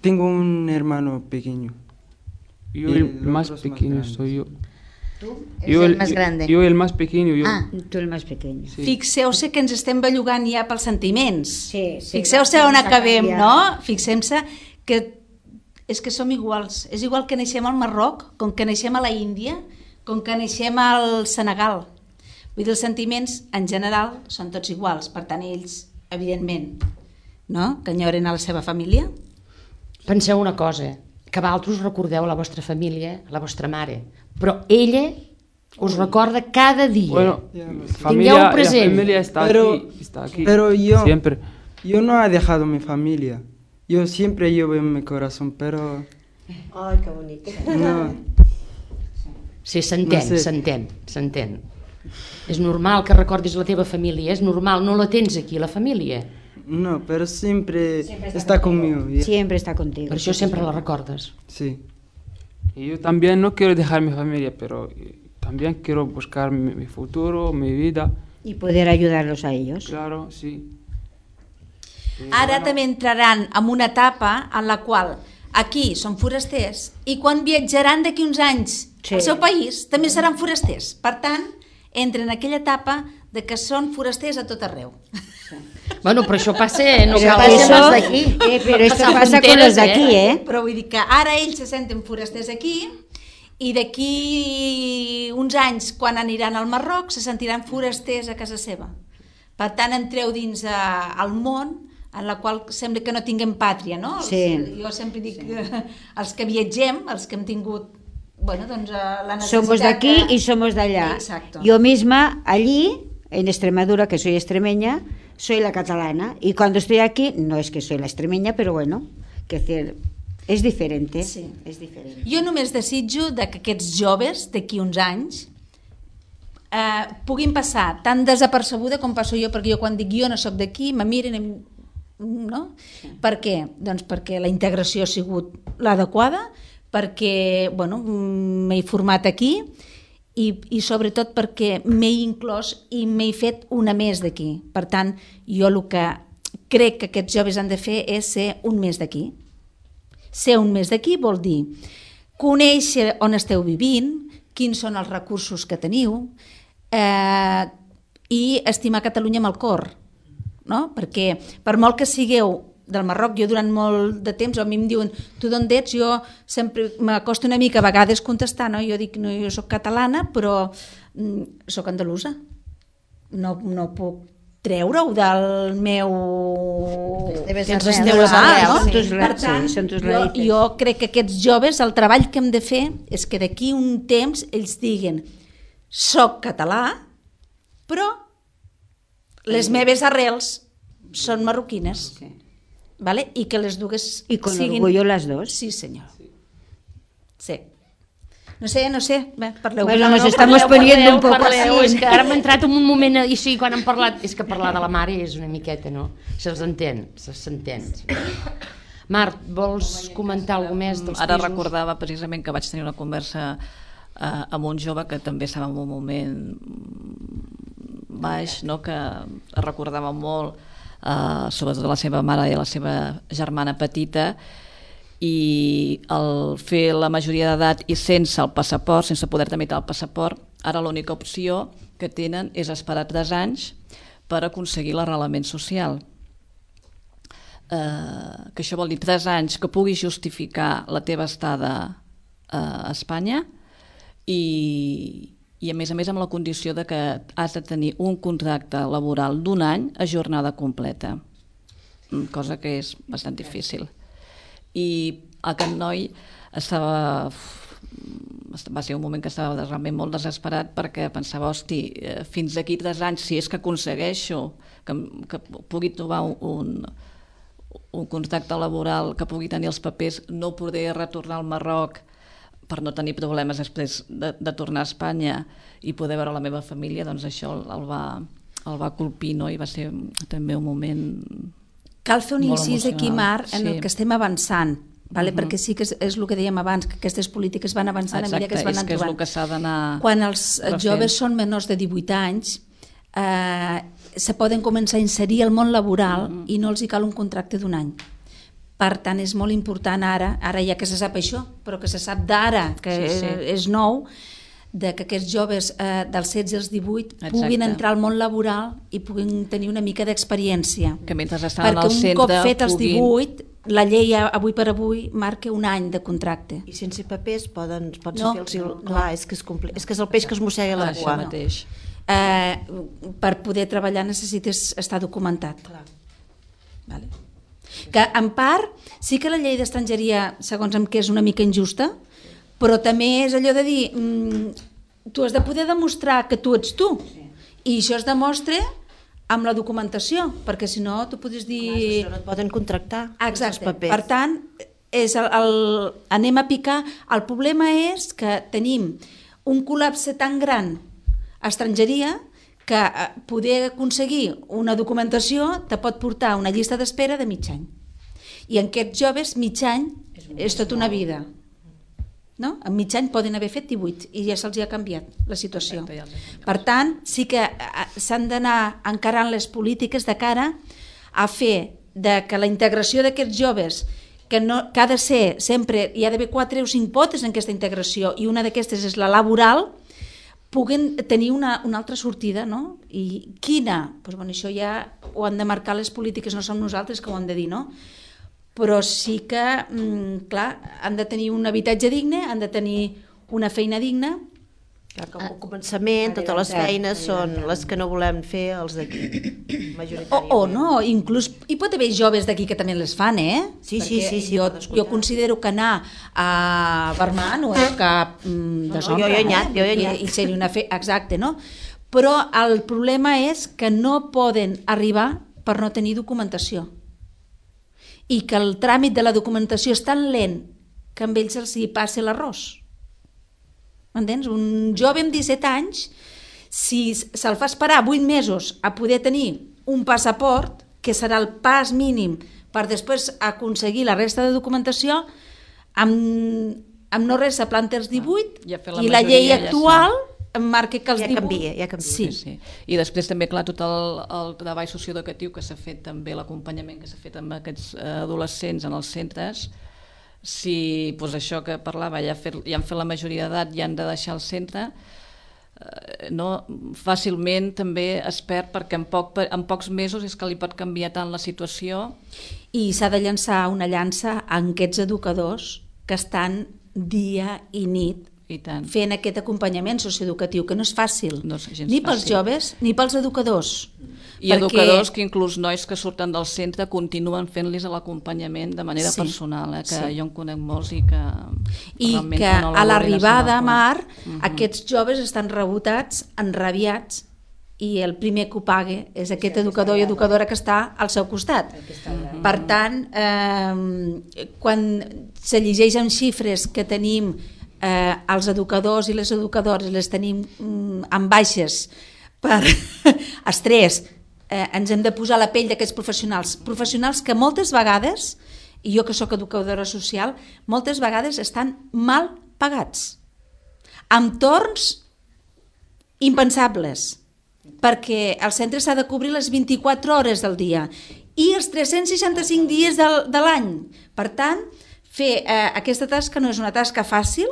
tengo un hermano pequeño. Yo el más pequeño soy yo. ¿Tú? ¿Eres el más grande? Jo el más pequeño. Tu el más pequeño. Sí. Fixeu-se que ens estem bellugant ja pels sentiments. Sí. Fixeu-se on acabem, no? Fixem-se que és que som iguals. És igual que naixem al Marroc, com que naixem a la Índia, com que naixem al Senegal. Vull dir, els sentiments, en general, són tots iguals. Per tant, ells, evidentment, no? Que enyoren a la seva família. Penseu una cosa, que vosaltres recordeu la vostra família, la vostra mare, però ella us recorda cada dia. Bueno, Tingueu present. La familia está aquí. Pero yo, siempre. Yo no he dejado mi familia. Yo siempre llevo en mi corazón, pero... Ay, qué bonito. No. Sí, s'entén. És normal que recordis la teva família, és normal, no la tens aquí, la família. No, pero siempre está conmigo. Siempre está contigo. Per això sempre la recordes. Sí. Y yo también no quiero dejar mi familia, pero también quiero buscar mi futuro, mi vida. Y poder ayudarlos a ellos. Claro, sí. Ara també entraran en una etapa en la qual aquí són forasters i quan viatjaran d'aquí uns anys al seu país també seran forasters. Per tant, entren en aquella etapa de que són forasters a tot arreu. Bueno, però això passa... No pero cal eso, ser d'aquí. Pero esto pasa con los de aquí, Però vull dir que ara ells se senten forasters aquí i d'aquí uns anys, quan aniran al Marroc, se sentiran forasters a casa seva. Per tant, entreu dins el món en la qual sembla que no tinguem pàtria, no? Sí. Jo sempre dic que els que viatgem, els que hem tingut la necesitat... Somos de aquí y somos de allá. Exacto. Yo misma, allí, en Extremadura, que soy extremeña, soy la catalana. Y cuando estoy aquí, no es que soy la extremeña, pero bueno, que és diferente. Sí. És diferent. Jo només desitjo que aquests joves d'aquí uns anys puguin passar tan desapercebuda com passo jo, perquè jo quan dic jo no sóc d'aquí, me miren, no? Per què? Doncs perquè la integració ha sigut l'adequada, perquè m'he format aquí i sobretot perquè m'he inclòs i m'he fet una més d'aquí. Per tant, jo el que crec que aquests joves han de fer és ser un més d'aquí. Ser un mes d'aquí vol dir conèixer on esteu vivint, quins són els recursos que teniu, i estimar Catalunya amb el cor, no? Perquè per molt que sigueu del Marroc, jo durant molt de temps, a mi em diuen, tu d'on ets? Jo sempre m'acosta una mica a vegades contestar, no? Jo dic, no, jo soc catalana, però soc andalusa. No puc treure-ho del meu... Per tant, jo crec que aquests joves, el treball que hem de fer és que d'aquí un temps ells diguen, soc català, però les meves arrels són marroquines. ¿Vale? Y que les dues y con orgullo las dos. Sí, señor. Sí. No sé, parleu. Bueno, nos estamos poniendo un poco así. És que ara m'ha entrat en un moment així, quan hem parlat, és que parlar de la mare és una miqueta, no? S'entén. Marc, vols comentar alguna més dels pisos? Ara recordava precisament que vaig tenir una conversa amb un jove que també estava en un moment baix, no? Que recordava molt sobretot la seva mare i la seva germana petita, i el fer la majoria d'edat i sense el passaport, sense poder tramitar el passaport, ara l'única opció que tenen és esperar 3 anys per aconseguir l'arrelament social. Que això vol dir 3 anys que puguis justificar la teva estada a Espanya i a més amb la condició de que has de tenir un contracte laboral d'1 any a jornada completa, cosa que és bastant difícil. I aquest noi va ser un moment que estava realment molt desesperat, perquè pensava, hosti, fins d'aquí 3 anys, si és que aconsegueixo que pugui trobar un contracte laboral, que pugui tenir els papers, no podré retornar al Marroc per no tenir problemes després de tornar a Espanya i poder veure la meva família, doncs això el va colpir, no? I va ser també un moment molt emocional. Cal fer un incís aquí, Marc, en el que estem avançant, perquè sí que és el que dèiem abans, que aquestes polítiques van avançant a mesura que es van trobant. És el que s'ha d'anar refent. Quan els joves són menors de 18 anys, se poden començar a inserir al món laboral i no els hi cal un contracte d'1 any. Per tant, és molt important ara ja que se sap això, però que se sap d'ara, que és nou, que aquests joves dels 16 als 18 puguin entrar al món laboral i puguin tenir una mica d'experiència. Que mentre estaven al centre... Perquè un cop fet els 18, la llei avui per avui marca 1 any de contracte. I sense papers pots fer-los... Clar, és que és el peix que es mossega la cua. Això mateix. Per poder treballar necessites estar documentat. Vale. Que en part sí que la llei d'estrangeria, segons em, que és una mica injusta, però també és allò de dir tu has de poder demostrar que tu ets tu, i això es demostra amb la documentació, perquè si no tu podries dir... Clar, no et poden contractar. Exacte, per tant anem a picar. El problema és que tenim un col·lapse tan gran a estrangeria que poder aconseguir una documentació te pot portar a una llista d'espera de mig any. I en aquests joves mig any és tota una vida. No? En mig any poden haver fet 18 i ja se'ls ha canviat la situació. Per tant, sí que s'han d'anar encarant les polítiques de cara a fer que la integració d'aquests joves, que ha de ser sempre, hi ha d'haver 4 o 5 potes en aquesta integració, i una d'aquestes és la laboral, puguen tenir una altra sortida, no? I quina? Doncs bueno, això ja ho han de marcar les polítiques, no som nosaltres que ho hem de dir, no? Però sí que, clar, han de tenir un habitatge digne, han de tenir una feina digna. Clar, com a començament, totes les feines són les que no volem fer els d'aquí, majoritàriament. O no, inclús hi pot haver joves d'aquí que també les fan, Sí. Jo considero que anar a Barma no és cap deshonra. Jo he anat. I seria una fe... Exacte, no? Però el problema és que no poden arribar per no tenir documentació. I que el tràmit de la documentació és tan lent que amb ells els hi passa l'arròs. M'entens? Un jove amb 17 anys, si se'l fa esperar 8 mesos a poder tenir un passaport, que serà el pas mínim per després aconseguir la resta de documentació, amb no res se planta els 18 i la llei actual marca que els 18... Ja canvia. Sí. I després també, clar, tot el treball socioeducatiu que s'ha fet, també l'acompanyament que s'ha fet amb aquests adolescents en els centres, si doncs això que parlava ja han fet la majoria d'edat i han de deixar el centre, fàcilment també es perd, perquè en pocs mesos és que li pot canviar tant la situació. I s'ha de llançar una llança a aquests educadors que estan dia i nit fent aquest acompanyament socioeducatiu, que no és fàcil, ni pels joves ni pels educadors. I educadors que inclús nois que surten del centre continuen fent-los l'acompanyament de manera personal, que jo en conec molts i que a l'arribada a Mar aquests joves estan rebotats, enrabiats, i el primer que ho paga és aquest educador i educadora que està al seu costat. Per tant, quan se llegeix en xifres que tenim els educadors i les educadores les tenim en baixes per estrès, ens hem de posar a la pell d'aquests professionals que moltes vegades, i jo que sóc educadora social, moltes vegades estan mal pagats, amb torns impensables, perquè el centre s'ha de cobrir les 24 hores del dia i els 365 dies de l'any. Per tant, fer aquesta tasca no és una tasca fàcil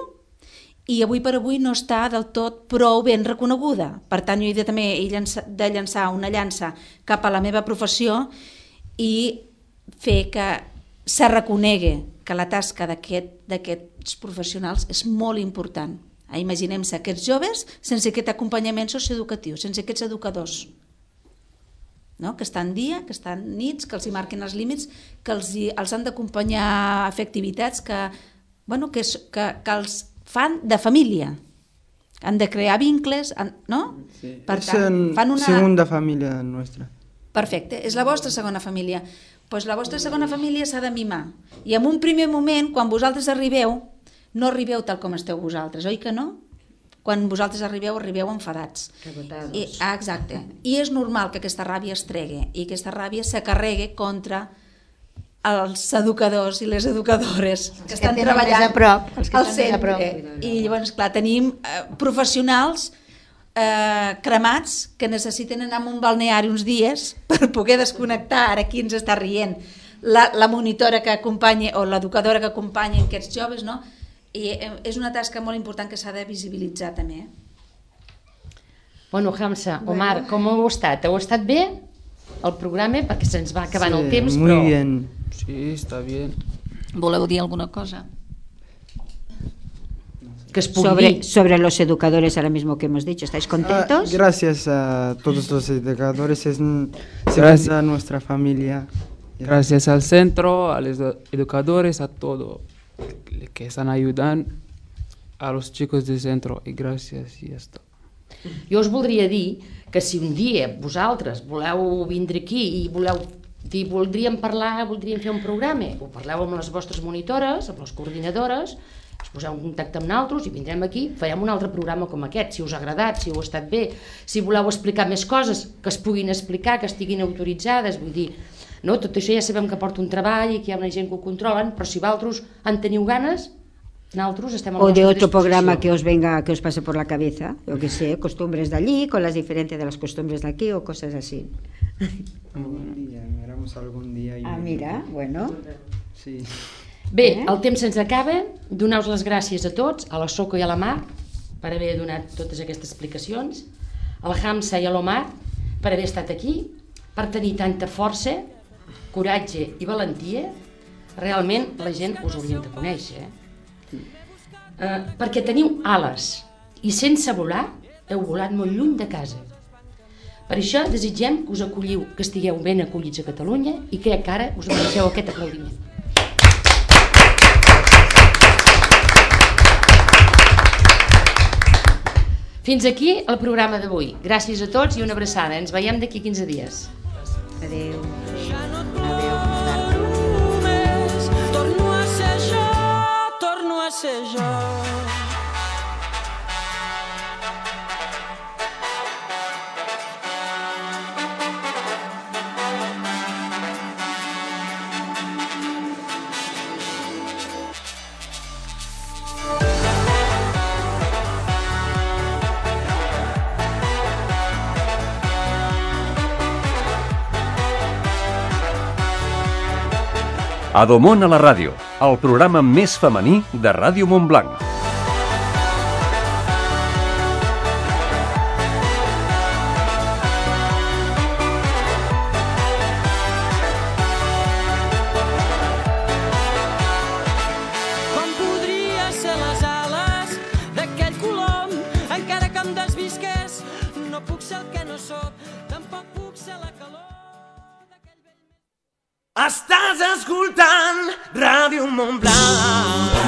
i avui per avui no està del tot prou ben reconeguda. Per tant, jo he de llançar una llança cap a la meva professió i fer que se reconegui que la tasca d'aquests professionals és molt important. Imaginem-se aquests joves sense aquest acompanyament socioeducatiu, sense aquests educadors, que estan dia, que estan nits, que els hi marquen els límits, que els han d'acompanyar a fer activitats que els fan de família. Han de crear vincles, no? Per tant, fan una segunda família nostra. Perfecte, és la vostra segona família. Doncs la vostra segona família s'ha de mimar. I en un primer moment, quan vosaltres arribeu, no arribeu tal com esteu vosaltres, oi que no? Quan vosaltres arribeu enfadats. Exacte. I és normal que aquesta ràbia es tregui i aquesta ràbia s'acarregui contra els educadors i les educadores que estan treballant al centre. I llavors, clar, tenim professionals cremats que necessiten anar a un balneari uns dies per poder desconnectar. Ara aquí ens està rient la monitora que acompanya o l'educadora que acompanya aquests joves, no? I és una tasca molt important que s'ha de visibilitzar també. Bueno, Hamza, Omar, com heu estat? Heu estat bé el programa? Perquè se'ns va acabant el temps, muy però... bien. Sí, está bien. ¿Voleu dir alguna cosa? Que es pugui dir. Sobre los educadores ahora mismo que hemos dicho, ¿estáis contentos? Gracias a todos los educadores, es a nuestra familia. Gracias al centro, a los educadores, a todos que están ayudando a los chicos del centro. Y gracias y esto. Jo us voldria dir que si un dia vosaltres voleu vindre aquí i voleu dir voldríem fer un programa, ho parleu amb les vostres monitores, amb les coordinadores, us poseu en contacte amb nosaltres i vindrem aquí, farem un altre programa com aquest, si us ha agradat, si heu estat bé, si voleu explicar més coses que es puguin explicar, que estiguin autoritzades, vull dir, no, tot això ja sabem que porta un treball i que hi ha una gent que ho controlen, però si vosaltres en teniu ganes, nosaltres estem a la vostra disposició. O de otro programa que os pase por la cabeza, yo que sé, costumbres de allí, con las diferencias de las costumbres de aquí o cosas así. Algún día, miramos algún día. Mira, bueno. Sí. Bé, el temps se'ns acaba, doneu-vos les gràcies a tots, a la Soco i a la Mar, per haver donat totes aquestes explicacions, al Hamza i a l'Omar, per haver estat aquí, per tenir tanta força, coratge i valentia. Realment la gent us hauria de conèixer, perquè teniu ales i sense volar heu volat molt lluny de casa. Per això desitgem que us acolliu, que estigueu ben acollits a Catalunya i que ara us mereixeu aquest aplaudiment. Fins aquí el programa d'avui. Gràcies a tots i una abraçada. Ens veiem d'aquí 15 dies. Adéu. Torno a ser jo. Adomon a la ràdio, el programa més femení de Ràdio Montblanc. Com podria ser les ales d'aquell colom, encara que em desvisqués, no puc ser el que no sóc, tampoc puc ser la calor. Estàs escoltant Ràdio Montblanc.